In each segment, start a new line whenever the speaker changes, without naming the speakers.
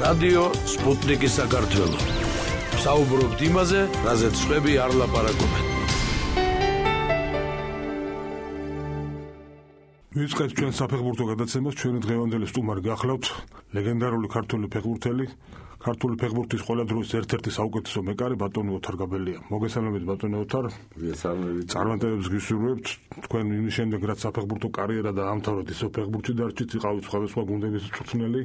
რადიო სპუტნიკი საქართველო. საუბრობთ იმაზე, რაზეც სხვები არ ლაპარაკობენ.
ვიწყებთ ჩვენ საფეხბურთო გადაცემას. ჩვენი დღევანდელი სტუმარი გახლავთ ლეგენდარული ქართული ფეხბურთელი, ქართული ფეხბურთის ყველა დროის ერთ-ერთი საუკეთესო მეკარე ბატონი ოთარ გაბელია. მოგესალმებით ბატონი ოთარ.
მოგესალმებით.
წარმატებებს გისურვებთ. თქვენ იმის შემდეგ რაც საფეხბურთო კარიერა დაამთავრეთ, ისო ფეხბურთში დარჩით, იყავით სხვადასხვა გუნდების მწვრთნელი.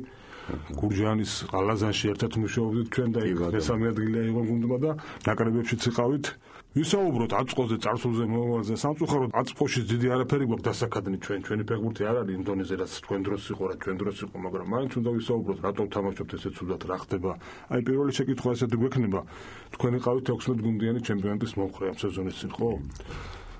გურჯაანის ყალაზანში ერთად მუშაობდით ჩვენ და იქ მესამე ადგილი აიღო გუნდმა და ნაკრებებშიც იყავით. ვისაუბროთ აწყოზე, წარსულზე, მომავალზე. სამწუხაროდ აწყოში დიდი არაფერი გვაქვს დასაკადნი ჩვენი ფეხბურთი არ არის იმ დონეზე, რაც თქვენ დროს იყო, რაც ჩვენ დროს იყო, მაგრამ მაინც უნდა ვისაუბროთ, რატომ თამაშობთ ესე ცუდად, რა ხდება. აი პირველი შეკითხვა ესეთი გვექნება, თქვენ იყავით 16 გუნდიანი ჩემპიონატის მომხრე ამ სეზონის წინ, ხო?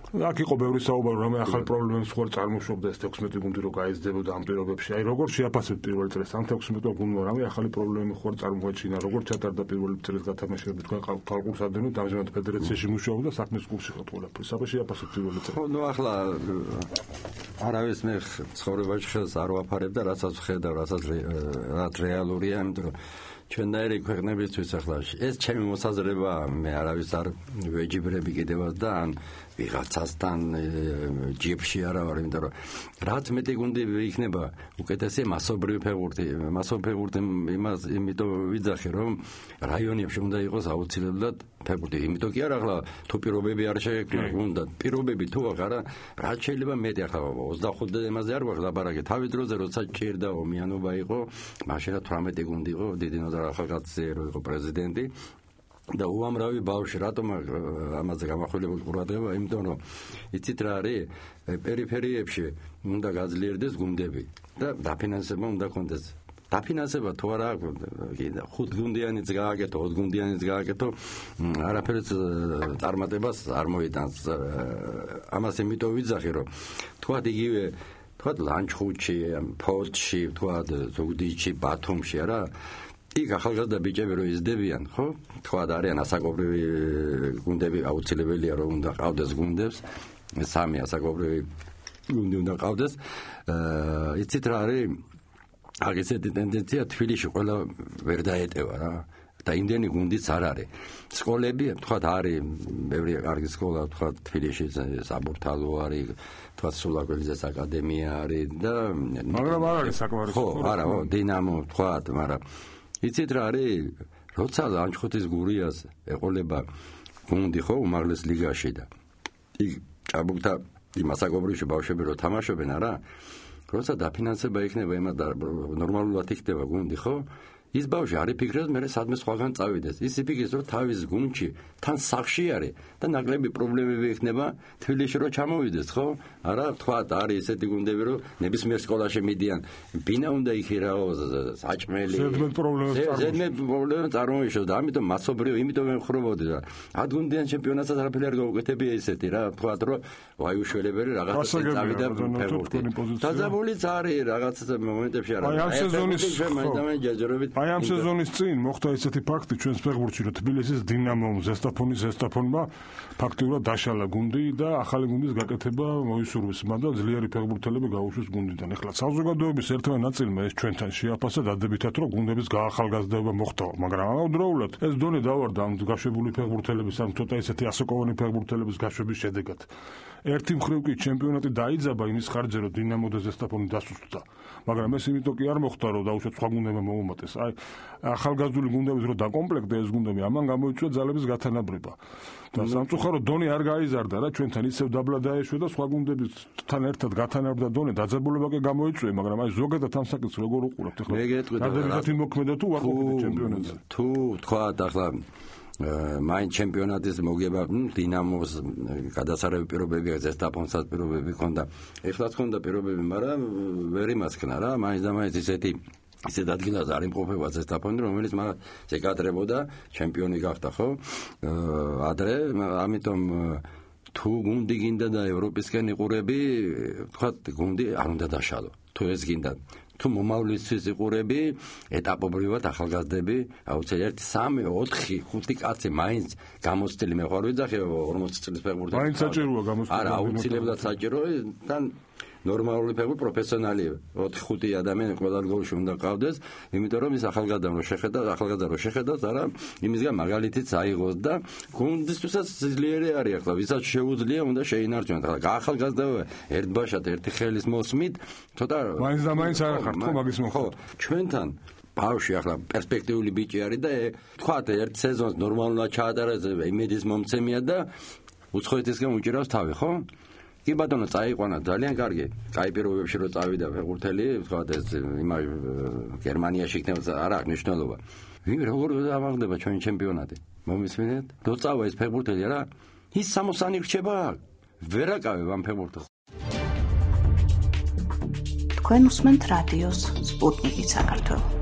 აქ იყო ბევრი საუბარი, რამე ახალ პრობლემებს ხوار წარმოშობდა ეს 16 გუნდი რო გაიზრდებოდა ამ პირობებში. აი როგორ შეაფასებთ პირველ წელს ამ 16 გუნდმა რამე ახალი პრობლემები ხوار წარმოაჩინა, როგორ ჩატარდა პირველი წელს გათამაშებები, თქვენ ხალხურს ადენოთ, ამჟამად ფედერაციაში მუშაობთ და საქმის კურსში ხართ ყველაფერი. საბა შეაფასებთ პირველი წელი?
ხო, ნუ ახლა არავის მე ცხოვრებაში ხელს არ ვაფარებ და რასაც ვხედავ, რაც რეალურია, იმიტომ რომ ჩვენდაერი ქვეყნებისთვის ახლა ეს ჩემი მოსაზრება, მე არავის არ ვეჯიბრები კიდევაც და ან ვიღაცასთან ჯიებში არა ვარ, იმიტომ რომ რაც მეტი გუნდი იქნება უკეთესი მასობრივი ფეხბურთი, იმიტომ ვიძახი რომ რაიონებში უნდა იყოს აუცილებლად ფეხბურთი, იმიტომ კი არა ახლა თუ პირობები არ შეექმნა გუნდად, პირობები თუ არა, რაც შეიძლება მეტი ახლა 25 იმაზე არ ვარ ლაპარაკი, თავის დროზე როცა ჭირდა ომიანობა იყო, მაშინ 18 გუნდი იყო, დიდი ნოზარ ახალგაზრდა იყო პრეზიდენტი და უამრავი ბავშვი, რატომ ამაზე გამახვილებული ყურადღება, იმიტომ რომ იცით რა არის, პერიფერიებში უნდა გაძლიერდეს გუნდები და დაფინანსება უნდა კონდეს. დაფინანსება თუ არა აქვს, 5 გუნდიანიც გააკეთო, 20 გუნდიანიც გააკეთო, არაფერს წარმატებას არ მოიტანს. ამას იმიტომ ვიძახი, რომ თქვათ იგივე, თქვათ ლანჩხუთში, ფოთში, თქვათ ზუგდიდში, ბათუმში, არა? იქ ახალგაზრდა ბიჭები რო იზრდებიან, ხო? თქვათ არიან ასაკობრივი გუნდები, აუცილებელია რომ უნდა ყავდეს გუნდებს, სამი ასაკობრივი გუნდი უნდა ყავდეს. იცით რა არის? აქ ესეთი ტენდენცია თბილისში ყველა ვერ დაეტევა რა. და იმდენი გუნდიც არ არის. სკოლები, თქვათ არის ბევრი კარგი სკოლა, თქვათ თბილისში საბურთალო არის, თქვათ სულაკველიძეს აკადემია არის და
მაგრამ არ არის საკმარის.
ხო, არა, დინამო, თქვათ, მაგრამ იცით რა არის? როცა ლანჩხუთის გურიას ეყოლება გუნდი ხო უმაღლეს ლიგაში და იქ ჭაბუკთა იმ ასაკობრივში ბავშვები რო თამაშობენ, არა? როცა დაფინანსება იქნება იმად ნორმალურად იქნება გუნდი, ხო? ის ბავშვი არ იფიქრებს მე სადმე სხვაგან წავიდეს. ის იფიქრებს რომ თავის გუნდში თან სახში არის და ნაკლები პრობლემები იქნება თბილისში რო ჩამოვიდეს, ხო? არა, თქვათ არის ესეთი გუნდები რომ ნებისმიერ სკოლაში მიდიან. ბინა უნდა იქირაოს, საჭმელი. ზედმეტ პრობლემებს წარმოიშოს და ამიტომ მასობრივ, იმიტომ ვემხრობოდი რა. ადგუნდიან ჩემპიონატსაც არაფერი არ გაუკეთებია ესეთი რა. თქვათ რომ ვაი უშველებელი რაღაცა წავიდა ფეხბურთი. დაძაბულიც არის რაღაც მომენტებში არა.
აი ამ სეზონის წინ მოხდა ესეთი ფაქტი ჩვენს ფეხბურთში, რომ თბილისის დინამომ ზესტაფონმა ფაქტიურად დაშალა გუნდი და ახალი გუნდის გაკეთება მოისურვის, მაგრამ ძლიერი ფეხბურთელები გაუშვეს გუნდიდან. ეხლა საზოგადოების ერთმა ნაწილმა ეს ჩვენთან შეაფასა დადებითად, რომ გუნდების გაახალგაზრდობა მოხდა, მაგრამ ამავდროულად ეს დონე დავარდა ამ გაშვებული ფეხბურთელების, ან ცოტა ესეთი ასაკოვანი ფეხბურთელების გაშვების შედეგად. ერთი მხრივ კი ჩემპიონატი დაიძაბა იმის ხარჯზე, რომ დინამო და ზესტაფონი დასუსტდა, მაგრამ ეს იმიტომ კი არ მოხდა, რომ დაუშვათ სხვა გუნდებმა მოუმატეს. აი ახალგაზრდული გუნდების რო დაკომპლექტდა ეს გუნდები, ამან გამოიწვია ძალების გათანაბრება. და სამწუხაროდ დონე არ გაიზარდა რა, ჩვენთან ისევ დაბლა დაეშვა და სხვა გუნდებთან ერთად გათანაბრდა დონე, დაძაბულობა კი გამოიწვია, მაგრამ აი ზოგადად ამ საკითხს როგორ უყურებთ ახლა? დადებითად იმოქმედა თუ ვარყოფით ჩემპიონატზე?
თუ თქვათ ახლა მაინ ჩემპიონატის მოგება დინამოს გადასარევი პირობები, ზესტაფონსაც პირობები ჰქონდა. ეხლაც ჰქონდა პირობები, მაგრამ ვერ იმასქნა რა, მაინც და მაინც ისეთ ადგილას არ იმყოფება ზესტაფონი, რომელიც მას ეკადრებოდა, ჩემპიონი გახდა, ხო? ადრე, ამიტომ თუ გუნდი გინდა და ევროპისკენ იყურები, თქვათ გუნდი არ უნდა დაშალო. თუ ეს გინდა თუ მომავლისთვის იყურები, ეტაპობრივად ახალგაზრდები, აუცილებლად 3, 4, 5 კაცი მაინც გამოცდილი მე ხარ ვიძახი 40 წლის ფეხბურთელს.
მაინც საჭიროა გამოცდილი.
არა, აუცილებლად საჭიროა და ნორმალური ფეხბურთი პროფესიონალი 4-5 ადამიანი ყველა გოლში უნდა ყავდეს, იმიტომ რომ ის ახალგაზრდა რო შეხედავს, არა იმისგან მაგალითიც აიღოს და გუნდისთვისაც ძლიერი არის ახლა, ვისაც შეუძლია უნდა შეინარჩუნოს. ახლა გაახალგაზრდა ერთბაშად ერთი ხელის მოსმით, ცოტა
მაინც და მაინც არ ხართ ხო მაგის
ხო, ჩვენთან ბავშვი ახლა პერსპექტიული ბიჭი არის და თქვათ ერთ სეზონს ნორმალურად ჩაატარებს, იმედის მომცემია და უცხოეთისგან უჭირავს თავი, ხო? კი ბატონო, წაიყვანა ძალიან კარგი. კაი პირობებში რო წავიდა ფეხბურთელი, თქვათ ეს გერმანიაში იქნება, არ აქვს მნიშვნელობა. როგორ ამაღლდება ჩვენი ჩემპიონატი? მომისმენთ? დოწავა ეს ფეხბურთელი რა? ის 60 რჩება? ვერ აკავებ ამ ფეხბურთს.
თქვენ უსმენთ რადიოს სპუტნიკი საქართველო.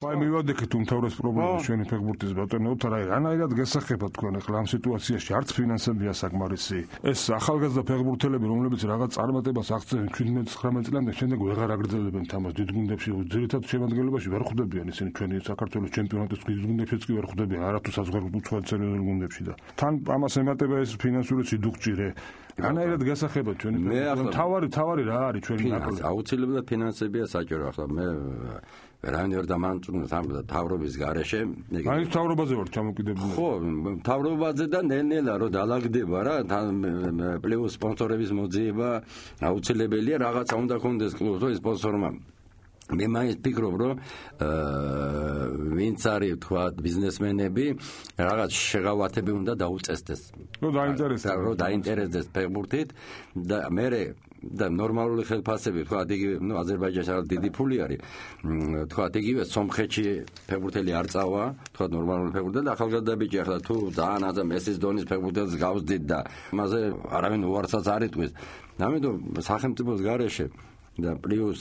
აი მივადექით უმთავრეს პრობლემას ჩვენი ფეხბურთის ბატონებთ, რა რანაირად გასახებათ თქვენ ახლა ამ სიტუაციაში არც ფინანსებია საკმარისი. ეს ახალგაზრდა ფეხბურთელები, რომლებიც რაღაც წარმატებას აღწევენ 17-19 წლამდე, შემდეგ ვეღარ აგრძელებენ თამაშს დიდ გუნდებში, ძირითადად შემადგენლობაში ვერ ხვდებიან ისინი ჩვენი საქართველოს ჩემპიონატის დიდ გუნდებშიც კი ვერ ხვდებიან, არათუ საზღვაო უცხოეთსერიულ გუნდებში და თან ამას ემატება ეს ფინანსური სიდუხჭირე. რანაირად გასახებათ ჩვენი ფეხბურთელები? თავარი რა არის ჩვენი ნაკრები?
აუცილებლად ფინანსებია საჭირო ახლა მე ვერავინ ვერ დამანწურნებს ამ თავრობის გარეშე.
აი თავრობაზე ვარ ჩამოკიდებული.
ხო, თავრობაზე და ნელ-ნელა რო დაალაგდება რა, პლუს სპონსორების მოძიება აუცილებელია, რაღაცა უნდა კონდეს კლუბს, ის სპონსორმა. მე მაინც ფიქრობ, რომ ვინც არის თქვა ბიზნესმენები, რაღაც შეღავათები უნდა დაუწესდეს.
რომ
დაინტერესდეს ფეხბურთით და მე და ნორმალური ხელფასები თქვა იგივე აზერბაიჯანში არის დიდი ფული არის თქვა იგივე სომხეთში ფეხბურთელი არ წავა თქვა ნორმალური ფეხბურთელი და ახალგაზრდა ბიჭი ახლა თუ ძალიან აზა მესის დონის ფეხბურთელს გავსდით და მასე არავინ უარსაც არ იტყვის ამიტომ სახელმწიფოს გარეშე და პლუს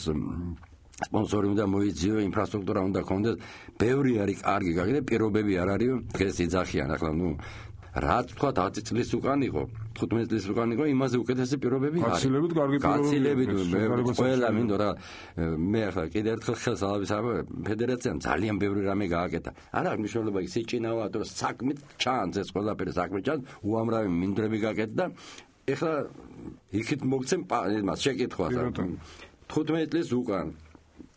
სპონსორი უნდა მოიძიო ინფრასტრუქტურა უნდა ქონდეს ბევრი არის კარგი გაგიდე პირობები არ არის დღეს იძახიან ახლა რა თქვა 10 წლის უკან იყო 15 წლის უკან იყო იმაზე უკეთესი პირობები არის
გაცილებით კარგი პირობები
ყველა მინდო რა მე ახლა კიდე ერთხელ ხელს ალავის ფედერაციამ ძალიან ბევრი რამე გააკეთა არ აქვს მნიშვნელობა ის სიჭინავა თუ საქმით ჩანს ეს ყველაფერი საქმით ჩანს უამრავი მინდვრები გააკეთა და ეხლა იქით მოგცემ იმას შეკითხვას 15 წლის უკან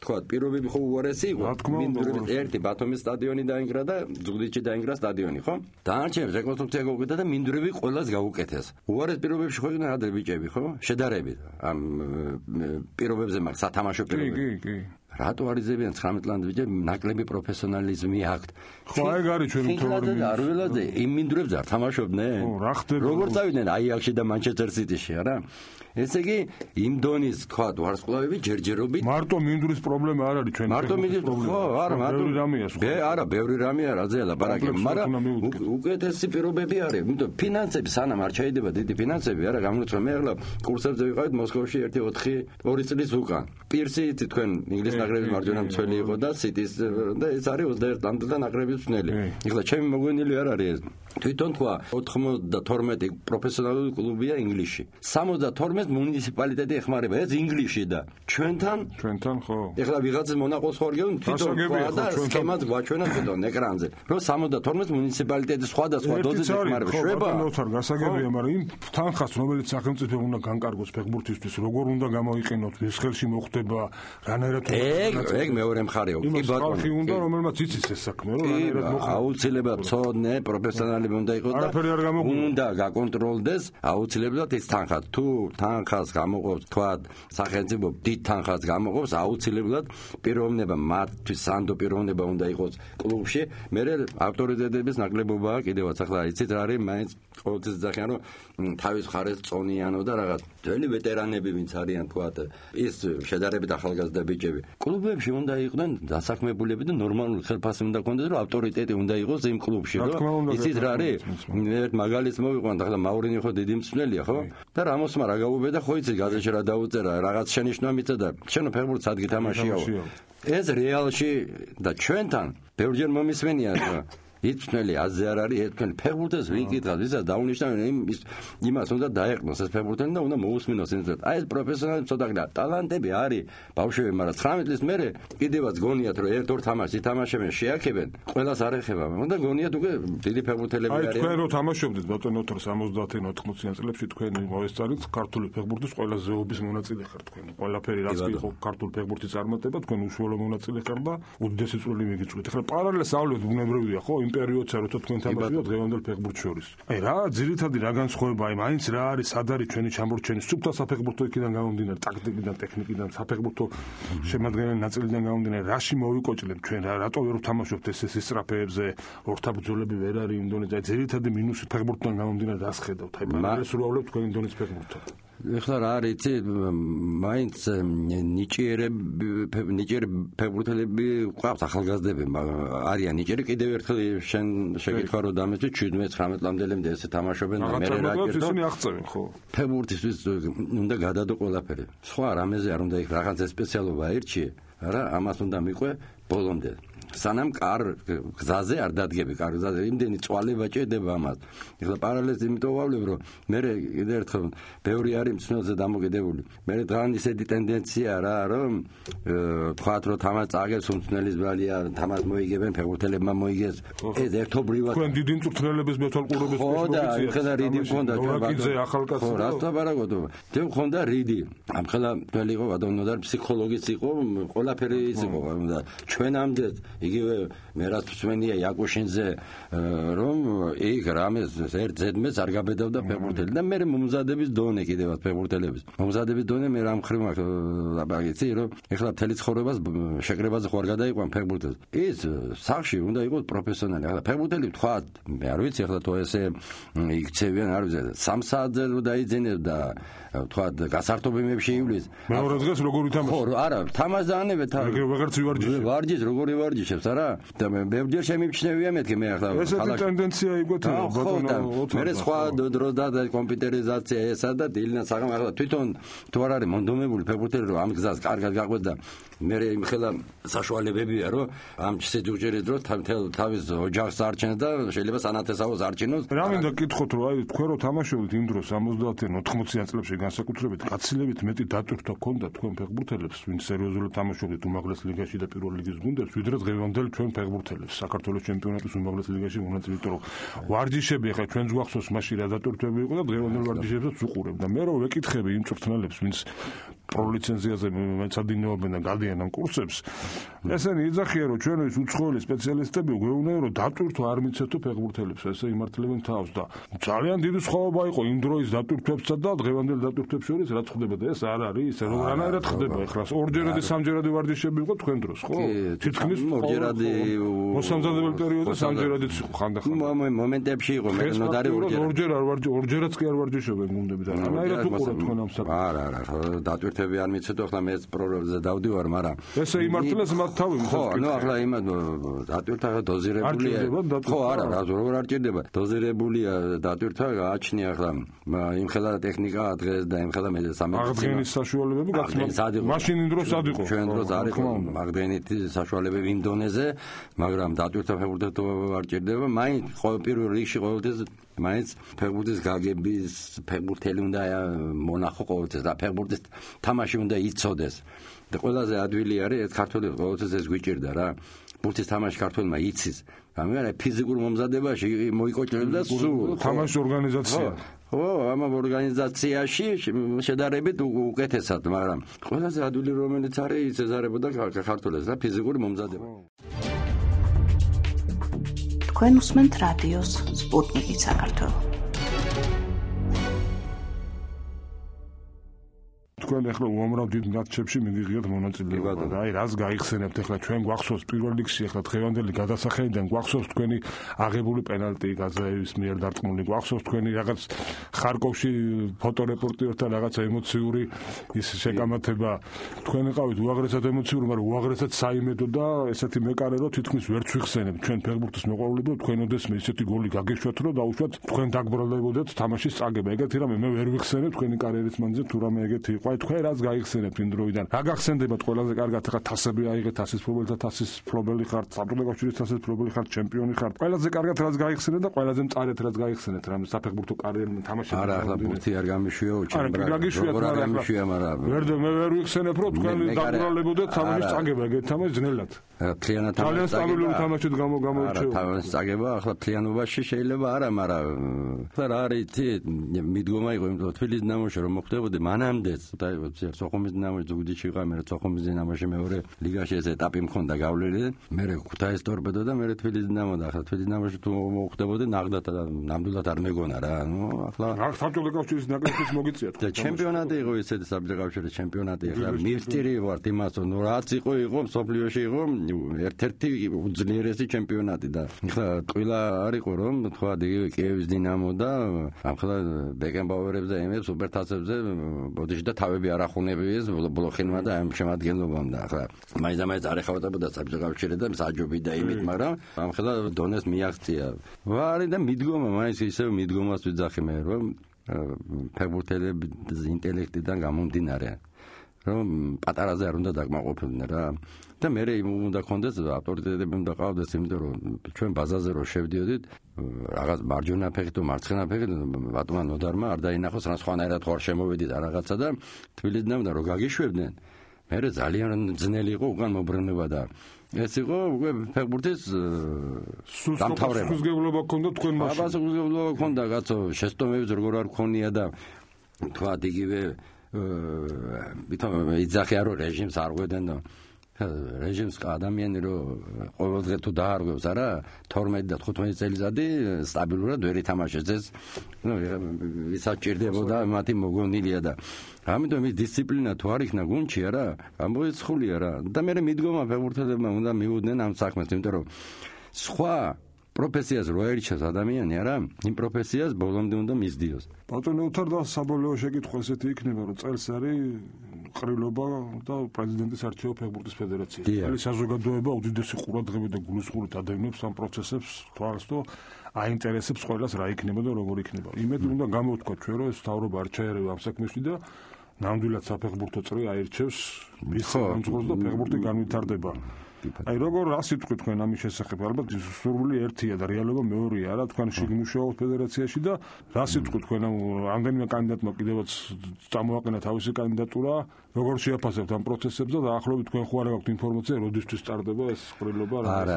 თქვა პირობები ხო უარესი იყო მინდვრები ერთი ბათუმის სტადიონი დაინგრა და ზუგდიდში დაინგრა სტადიონი ხო დანარჩენებს რეკონსტრუქცია გაუკეთა და მინდვრები ყველას გაუკეთეს უარეს პირობებში ხო იყვნენ ადრე ბიჭები ხო შედარებით ამ პირობებზე მაგ სათამაშო პირობები
კი
რატო არიზებიან 19 წლამდე ბიჭები ნაკლები პროფესიონალიზმი აქვს
ხო აი გარი ჩვენი თორემ
არ ველოდე იმ მინდვრებს არ თამაშობდნენ
რა ხდება
როგორ წავიდნენ აიაქსში და მანჩესტერ სიტიში არა ესე იგი იმ დონის თქვა ვარსკვლავები ჯერჯერობით
მარტო მინდვრის პრობლემა არ არის ჩვენი
მარტო მინდვრის ხო არა
ბევრი რამეა
არა ბევრი რამეა რა ზეა ლაპარაკი მაგრამ უკეთესი პირობები არის იმიტომ ფინანსები სანამ არ ჩაიდება დიდი ფინანსები არა გამროცვა მე ახლა კურსებზე ვიყავით მოსკოვში 1-2 წლის უკან პირსი თქვენ ინგლისის ნაკრების მარჯვენა მცველი იყო და სიტის და ეს არის 21 წლამდე და ნაკრების მცველი ეხლა ჩემი მოგვენილი არ არის ეს თვითონ თქვა 92 პროფესიონალური კლუბია ინგლისში 72 მუნიციპალიტეტი ეხმარება ეს ინგლისში და ჩვენთან ხო ეხლა ვიღაცის მონაყოს ხორგეუნ თვითონ თქვა და სქემაც გვაჩვენა თვითონ ეკრანზე რომ 72 მუნიციპალიტეტი სხვადასხვა დოზით ეხმარება შვება
ნოთარ გასაგებია მაგრამ იმ თანხას რომელიც სახელმწიფო უნდა განკარგოს ფეხბურთისთვის როგორ უნდა გამოიყენოთ ეს ხელში მოხდება რანაირად
ეგ მეორე მხარეო კი ბატონო
ხალხი უნდა რომელმაც იცის ეს საქმე რომ რანაირად მოხდება
აუცილებლად ცოდნე პროფესიონალები უნდა იყოს და უნდა გაკონტროლდეს აუცილებლად ეს თანხა თუ თანხას გამოყოფს თქვა სახელმწიფო დიდ თანხას გამოყოფს აუცილებლად პიროვნება მათთვის სანდო პიროვნება უნდა იყოს კლუბში მე ავტორიტეტების ნაკლებობაა კიდევაც ახლა იცით რა არის მაინც ყოველთვის ძახიან რომ თავის მხარეს წონიანო და რაღაც ძველი ვეტერანები ვინც არიან თქვა ის შედარებით ახალგაზრდა ბიჭები კლუბებში უნდა იყვნენ დასაქმებულები და ნორმალური ხელფასი უნდა კონდეს რომ ავტორიტეტი უნდა იყოს იმ კლუბში რომ იცით რა არის ერთ მაგალითს მოვიყვანთ ახლა მაურინი ხო დიდი მწვრთნელია ხო და რამოსმა რა გაუბედა ხო იცით გაზეთში რა დაუწერა რაღაც შენიშვნა მიწედა შენო ფეხბურთს ადგილ თამაშიაო ეს რეალში და ჩვენთან ბევრჯერ მომისმენია იწვნელი აზე არ არის ერთმანეთს ფეხბურთელს ვიკითხავთ ვისაც დაუნიშნავენ იმას უნდა დაეყნოს ეს ფეხბურთელი და უნდა მოусმინოს ინტერესად აი ეს პროფესიონალი ცოტა ტალანტები არის ბავშვები მაგრამ 19 წლის მერე კიდევაც გონიათ რომ ერთ-ორ თამაშს ითამაშებენ შეაქებენ ყველას არ ეხება მაგრამ გონიათ უკვე დიდი ფეხბურთელები არიან
აი თქვენ რო თამაშობდით ბატონო 70-80 წლებში თქვენ მოესწარით ქართული ფეხბურთის ყველა ზეობის მონაწილე ხართ თქვენ ყველაფერი რაც იყო ქართული ფეხბურთის წარმატება თქვენ უშუალო მონაწილე ხართ და უდიდესი წვლილი მიგიწვით ახლა პარალელსავლეთ ბუნებრივია ხო იმ პერიოდსა როცა თქვენ თამაშობდით დღევანდელ ფეხბურთს შორის აი რა ძირითადი რა განსხვავება აი მაინც რა არის სად არის ჩვენი ჩამორჩენი სუფთა საფეხბურთო იქიდან გამომდინარე ტაქტიკიდან ტექნიკიდან საფეხბურთო შემადგენელი ნაწილიდან გამომდინარე რაში მოვიკოჭლებთ ჩვენ რატო ვერ ვთამაშობთ ეს ისტრაფეებზე ორთაბრძოლები ვერ არის იმ დონეზე აი ძირითადი მინუსი ფეხბურთთან გამომდინარე რას ხედავთ აი პარალელს როავლეთ თქვენი დონის ფეხბურთთან
ეხლა რა არის იცი მაინც ნიჭიერი ფეხბურთელები ყავს ახალგაზრდები არიან ნიჭიერი კიდევ ერთხელ შენ შეგირთვა რომ დამეცი 17-19 წლამდელემდე ესე თამაშობენ და მე რა კეთო
ისინი აღწევენ ხო
ფეხბურთისთვის უნდა გადადო ყველაფერი სხვა რამეზე არ უნდა იქ რაღაცა სპეციალობა ერჩი რა ამას უნდა მიყვე ბოლომდე სანამ გზაზე არ დადგები გზაზე იმდენი წვალება ჭედება ამას ეხლა პარალელს იმიტომ ვავლებ რომ მე კიდევ ერთხელ ბევრი არის მცნელზე დამოკიდებული მე დღან ისეთი ტენდენცია რა რომ თქვათ რომ თამას წაგებს მცნელის ბრალია თამას მოიგებენ ფეხბურთელებმა მოიგეს ეს ერთობრივად
თქვენ დიდი მწვრთნელების მეთვალყურების
ხო და ეხლა რიდი მქონდა
ნოვაკიძე ახალკაცი
ხო რა თაბარაგოთ თემ მქონდა რიდი ამ ხელა მთელი იყო ბატონო ფსიქოლოგიც იყო ყველაფერი ის იყო და ჩვენამდე იგივე მე რაც მსმენია იაკუშინზე რომ იქ რამეს ერთ ზედმეც არ გაბედავდა ფეხბურთელი და მე მომზადების დონე კიდევაც ფეხბურთელების მომზადების დონე მე რამ ხრივ მაქვს აბაგიცი რომ ეხლა მთელი ცხოვრებას შეკრებაზე ხوار გადაიყვან ფეხბურთელს ის სახში უნდა იყოს პროფესიონალი ახლა ფეხბურთელი თქვა მე არ ვიცი ახლა თუ ესე იქცევიან არ ვიცი 3 საათზე დაიძინეს და თქვა გასართობები შეივლის
მეორე დღეს როგორ ვითამაშე
ხო არა თამაშს დაანებეთ
ვეღარც
ვარჯიშ როგორი ვარჯიშებს არა და მე ბევრჯერ შემიმჩნევია მეთქი მე ახლა
ესეთი ტენდენცია იგვეთება ბატონო
მე სხვა დროს და კომპიუტერიზაცია ესა და დილნა საღამ ახლა თვითონ თუ არ არის მონდომებული ფეხბურთელი რომ ამ გზას კარგად გაყვეს და მე იმ ხელა საშუალებებია რომ ამ შეჯუჯერეთ რომ თავის ოჯახს არჩენს და შეიძლება სანათესავოს არჩინოს
რა მინდა გითხოთ რომ აი თქვენ რო თამაშობთ იმ დროს 70-იან 80-იან წლებში განსაკუთრებით გაცილებით მეტი დატვირთვა ჰქონდა თქვენ ფეხბურთელებს ვინ სერიოზულად თამაშობდით უმაღლეს ლიგაში და პირველ ლიგის გუნდებს ვიდრე დღევანდელ ჩვენ ფეხბურთელებს საქართველოს ჩემპიონატის უმაღლეს ლიგაში მონაწილე იმიტომ რომ ვარჯიშები ახლა ჩვენს გვახსოვს მაშინ რა დატვირთვები იყო და დღევანდელ ვარჯიშებსაც უყურებ და მე რო ვეკითხები იმ მწვრთნელებს ვინც პროლიცენზიაზე მეცადინეობენ და გადიან ამ კურსებს ესენი იძახიან რომ ჩვენთვის უცხოელი სპეციალისტები გვეუბნენ რომ დატვირთვა არ მიცეთო ფეხბურთელებს ესე იმართლებენ თავს და ძალიან დიდი სხვაობა იყო იმ დროის დატვირთვებსა და დღევანდელ დატვირთვებს შორის რაც ხდება და ეს არ არის რომ რანაირად ხდება ახლა ორჯერადი სამჯერადი ვარჯიშები იყო თქვენ დროს ხო თითქმის
ორჯერადი
მოსამზადებელ პერიოდში სამჯერადიც იყო ხანდახან
მომენტებში იყო მე ნოდარი
ორჯერაც კი არ ვარჯიშობენ გუნდები და რანაირად უყურებთ თქვენ ამ საქმეს
არა დატვირთვები არ მიცეთო ახლა მე პროგრამაზე დავდივარ მაგრამ
ესე იმართლეს მათ თავი
ხო ნუ ახლა იმად დატვირთვა დოზირებულია ხო არა როგორ არ ჭირდება დოზირებულია დატვირთვა გააჩნია ახლა იმ ხელა ტექნიკა დღეს და იმ ხელა მე
აღდგენის საშუალებები გახსნა მაშინ იმ დროს სად იყო
ჩვენ დროს არ იყო აღდგენით საშუალებები იმ დონეზე მაგრამ დატვირთვა ფეხბურთელს არ ჭირდება მაინც პირველ რიგში ყოველთვის მაინც ფეხბურთის გაგების ფეხბურთელი უნდა მონახო ყოველთვის და ფეხბურთის თამაში უნდა იცოდეს და ყველაზე ადვილი არის ეს ქართული ყოველთვის ეს გვიჭირდა რა ბურთის თამაში ქართულმა იცის გამიგე ფიზიკურ მომზადებაში მოიკოჭრებს და სულ
თამაშის ორგანიზაცია
ხო ამ ორგანიზაციაში შედარებით უკეთესად მაგრამ ყველაზე ადვილი რომელიც არის ეს ეზარებოდა ქართულს და ფიზიკური მომზადება
თქვენ უსმენთ რადიოს სპუტნიკი საქართველო
თქვენ ახლა უამრავ დიდ მატჩებში მიგიღიათ მონაწილეობა და აი რას გაიხსენებთ ახლა ჩვენ გვახსოვს პირველ ლიგში ახლა დღევანდელი გადასახედიდან გვახსოვს თქვენი აღებული პენალტი გაზაევის მიერ დარწმუნებული გვახსოვს თქვენი რაღაც ხარკოვში ფოტორეპორტიორთან რაღაცა ემოციური ის შეკამათება თქვენ იყავით უაღრესად ემოციური მაგრამ უაღრესად საიმედო და ესეთი მეკარე რომ თითქმის ვერც ვიხსენებთ ჩვენ ფეხბურთის მოყვარულები თქვენ ოდესმე ისეთი გოლი გაგეშვათ რომ დაუშვათ თქვენ დაგბრალდებოდეთ თამაშის წაგება ეგეთი რამე მე ვერ ვიხსენებ თქვენი კარიერის მანძილზე თუ რამე ეგეთი იყო აი თქვენ რაც გაიხსენებთ იმ დროიდან რა გახსენდებათ ყველაზე კარგად ახლა თასები აიღეთ თასის მფლობელთა თასის მფლობელი ხართ საბჭოთა კავშირის თასის მფლობელი ხართ ჩემპიონი ხართ ყველაზე კარგად რაც გაიხსენეთ და ყველაზე მწარეთ რაც გაიხსენეთ რამე საფეხბურთო კარიერა თამაშობთ
არა ახლა ბურთი არ გამიშვიო ჩემბრა
როგორ არ
გამიშვია მაგრამ
მე ვერ ვიხსენებ რომ თქვენ დაგვრალებოდეთ თამაშის წაგება ეგეთ თამაშ ძნელად
თლიანად
ძალიან სტაბილური თამაშით გამოირჩევა
თამაშის წაგება ახლა თლიანობაში შეიძლება არა მაგრამ ახლა რა არის მიდგომა იყო იმ თბილისის ნამოში რომ მოხდებოდა მანამდეც სოხუმის ნამოში ზუგდიდში იყო მე სოხუმის ნამოში მეორე ლიგაში ეს ეტაპი მქონდა გავლილი მე ქუთაისის ტორპედო და მე თბილისის ნამო და ახლა თბილისის ნამოში თუ მოხდებოდა ნამდვილად არ მეგონა რა ნუ ახლა
საბჭოთა კავშირის ნაკრების მოგიწიათ
და ჩემპიონატი იყო ესეთი საბჭოთა კავშირის ჩემპიონატი ახლა მივსტირი ვართ იმას რომ რაც იყო მსოფლიოში იყო ერთ-ერთი უძლიერესი ჩემპიონატი და ახლა ტყილა არ იყო რომ თქვა კიევის დინამო და ახლა ბეკენბაუერებს და იმებს სუპერთასებზე ბოდიში და თავები არ ახუნებიეს ბლოხინმა და ამ შემადგენლობამ და ახლა მაინც არ ეხავდებოდა საბჭოთა კავშირი და საჯობი და იმით მაგრამ ახლა დონეს მიაღწია ვარი და მიდგომა მაინც ისევ მიდგომას ვიძახი მე რომ ფეხბურთელების ინტელექტიდან გამომდინარე რომ პატარაზე არ უნდა დაკმაყოფილდნენ რა და მე უნდა კონდეს ავტორიტეტები უნდა ყავდეს იმიტომ რომ ჩვენ ბაზაზე რო შევდიოდით რაღაც მარჯვენა ფეხით თუ მარცხენა ფეხით ბატონმა ნოდარმა არ დაინახოს რა სხვანაირად ხარ შემოვედით რაღაცა და თბილისიდან რო გაგიშვებდნენ მე ძალიან ძნელი იყო უკან მობრუნება და ეს იყო უკვე ფეხბურთის დამთავრება
სულგებლობა ქონდა თქვენ მაშინ
აბა სულგებლობა ქონდა კაცო შეცდომებიც როგორ არ ქონია და თქვა იგივე ვითომ იძახია რომ რეჟიმს არ ღვედენ და რეჟიმს ადამიანი რომ ყოველდღე თუ დაარღვევს არა 12 და 15 წელიწადი სტაბილურად ვერ ითამაშეს ეს ნუ ვისაც ჭირდებოდა მათი მოგონილია და ამიტომ ის დისციპლინა თუ არ იქნა გუნდში არა ამოიცხულია რა და მე მიდგომა ფეხბურთელებმა უნდა მიუდნენ ამ საქმეს იმიტომ რომ სხვა პროფესიას რო აირჩევს ადამიანი არა იმ პროფესიას ბოლომდე უნდა მისდიოს
ბატონო უთარ და საბოლოო შეკითხვა ესეთი იქნება რომ წელს არის ყრილობა და პრეზიდენტის არჩევა ფეხბურთის ფედერაციაში ხელი საზოგადოება უდიდესი ყურადღებით და გულისხმობით ადევნებს ამ პროცესებს თვალს და აინტერესებს ყველას რა იქნება და როგორ იქნება იმედ უნდა გამოვთქვა ჩვენ რომ ეს თავრობა არ ჩაერევა ამ საქმეში და ნამდვილად საფეხბურთო წრე აირჩევს მის კონტროლს და ფეხბურთი განვითარდება აი როგორ რა სიტყვით თქვენ ამის შესახებ ალბათ სურვილი ერთია და რეალობა მეორეა რა თქვენ შეგმუშაობთ ფედერაციაში და რა სიტყვით თქვენ რამდენიმე კანდიდატმა კიდევაც წამოაყენა თავისი კანდიდატურა როგორ შეაფასებთ ამ პროცესებს და დაახლოებით თქვენ ხო არ გაქვთ ინფორმაცია როდისთვის სტარდება ეს ყრილობა
არა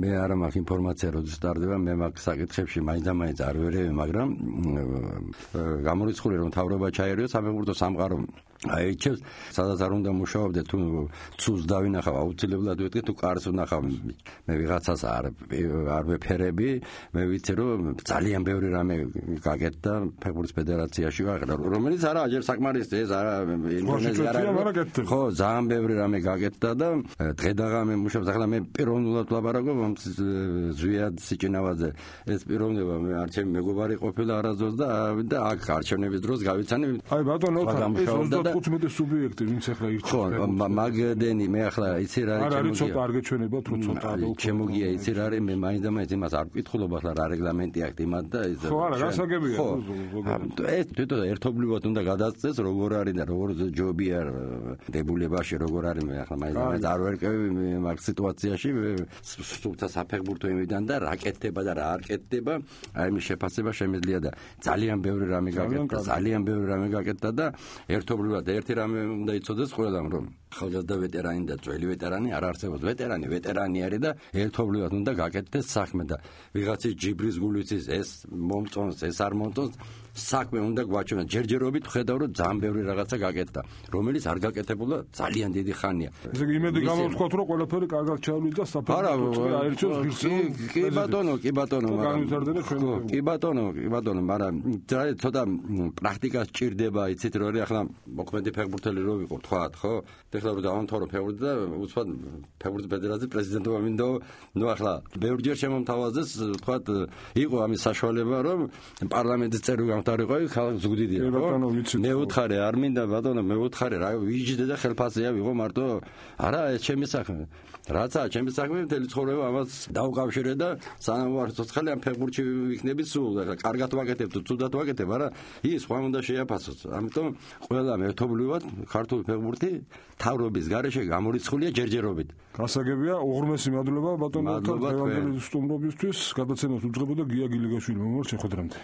მე არ მაქვს ინფორმაცია როდის სტარდება მე მაგ საკითხებში მაინც არ ვერევი მაგრამ გამორიცხული რომ თავრობა ჩაერევს საფეხბურთო სამყარო აირჩევს სადაც არ უნდა მუშაობდე თუ ცუს დავინახავ აუცილებლად ვეთქე თუ კარს ვნახავ მე ვიღაცას არ ვეფერები მე ვიცი რომ ძალიან ბევრი რამე გაკეთდა ფეხბურთის ფედერაციაში რომელიც არა ჯერ საკმარისი ეს არა ინდონეზია ხო ძალიან ბევრი რამე გაკეთდა და დღედაღამე მუშაობს ახლა მე პიროვნულად ვლაპარაკობ ზვიად სიჭინავაძე ეს პიროვნება მე არჩევ მეგობარი ყოფილა არასდროს და აქ არჩევნების დროს გავიცანი
აი ბატონო ეს 15 სუბიექტი ვინც ახლა ირჩევს
ხო მაგდენი მე ახლა იცი რა
არის ცოტა არ გეჩვენებათ რომ ცოტა
ჩემოგია იცი რა არის მე მაინც იმას არ ვკითხულობ ახლა რა რეგლამენტი აქვს იმათ და ეს
ხო არა გასაგებია
ეს თვითონ ერთობლივად უნდა გადაწყვეტს როგორ არის და როგორ ჯობია დებულებაში როგორ არის მე ახლა მაინც არ ვერკევი მაგ სიტუაციაში სულთა საფეხბურთო იმიდან და რა კეთდება და რა არ კეთდება აი მის შეფასება შემიძლია და ძალიან ბევრი რამე გაკეთდა და ერთობლივად ერთი რამე უნდა იცოდეს ყველამ რომ ხალხთა ვეტერანი და ძველი ვეტერანი არ არსებობს ვეტერანი არის და ერთობლივად უნდა გაკეთდეს საქმე და ვიღაცის ჯიბრის გულიცის ეს მომწონს ეს არ მომწონს საქმე უნდა გვაჩვენოს ჯერჯერობით ხედავ რომ ძალიან ბევრი რაღაცა გაკეთდა რომელიც არ გაკეთებულა ძალიან დიდი ხანია
ესე იგი იმედი გამოვთქვათ რომ ყველაფერი კარგად ჩავლიდა საფეხბურთო აირჩევს ღირსეულ
კი ბატონო მაგრამ ცოტა პრაქტიკას ჭირდება იცით რომ ახლა მოქმედი ფეხბურთელი რო ვიყო თქვათ ხო ეხლა რომ დავამთავრო ფეხბურთი და უცბად ფეხბურთის ფედერაციის პრეზიდენტობა მინდო ნუ ახლა ბევრჯერ შემომთავაზეს თქვათ იყო ამის საშუალება რომ პარლამენტის წევრი გამთავრიყო ხალხ ზუგდიდია მე ვუთხარი არ მინდა ბატონო მე ვუთხარი რა ვიჯდე და ხელფასია ვიღო მარტო არა ეს ჩემი საქმე რაცა ჩემი საქმე მთელი ცხოვრება ამას დავუკავშირე და სანამ ვარ ცოცხალი ამ ფეხბურთში ვიქნები სულ ახლა კარგად ვაკეთებ თუ ცუდად ვაკეთებ არა ის სხვა უნდა შეაფასოს ამიტომ ყველა მე ერთობლივად ქართული ფეხბურთი თავრობის გარეშე გამორიცხულია ჯერჯერობით.
გასაგებია, უღრმესი მადლობა ბატონო, დღევანდელი სტუმრობისთვის, გადაცემას უძღვებოდა გია გილიგაშვილი. მომავალ შეხვედრამდე.